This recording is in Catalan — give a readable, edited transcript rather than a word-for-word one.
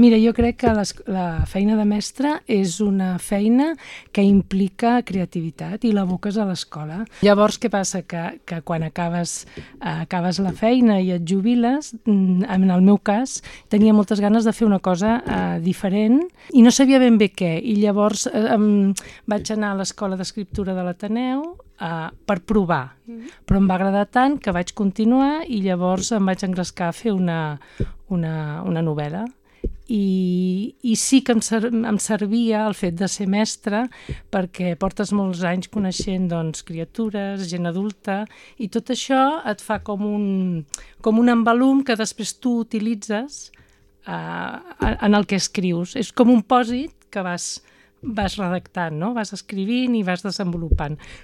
Mira, jo crec que la feina de mestre és una feina que implica creativitat i l'aboques a l'escola. Llavors, què passa? Que quan acabes la feina i et jubiles, en el meu cas, tenia moltes ganes de fer una cosa diferent i no sabia ben bé què. I llavors vaig anar a l'Escola d'Escriptura de l'Ateneu per provar, però em va agradar tant que vaig continuar i llavors em vaig engrescar a fer una novel·la. I sí que em servia el fet de ser mestre perquè portes molts anys coneixent criatures, gent adulta, i tot això et fa com un embalum que després tu utilitzes en el que escrius. És com un pòsit que vas redactant, no? Vas escrivint i vas desenvolupant.